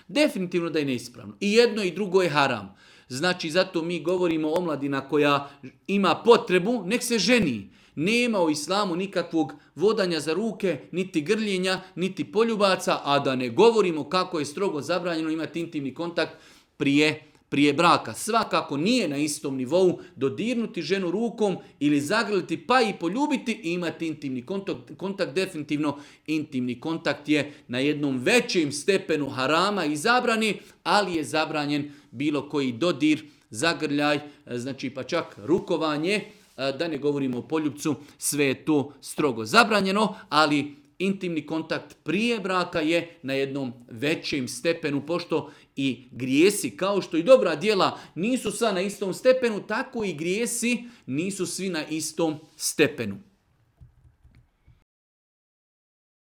Definitivno da je neispravno. I jedno i drugo je haram. Znači, zato mi govorimo omladina koja ima potrebu, nek se ženi. Nema u islamu nikakvog vodanja za ruke, niti grljenja, niti poljubaca, a da ne govorimo kako je strogo zabranjeno imati intimni kontakt prije braka. Svakako nije na istom nivou dodirnuti ženu rukom ili zagrliti pa i poljubiti i imati intimni kontakt. Definitivno intimni kontakt je na jednom većem stepenu harama i zabrani, ali je zabranjen bilo koji dodir, zagrljaj, znači pa čak rukovanje, da ne govorimo o poljupcu, sve je to strogo zabranjeno, ali intimni kontakt prije braka je na jednom većem stepenu, pošto i grijesi, kao što i dobra djela nisu sva na istom stepenu, tako i grijesi nisu svi na istom stepenu.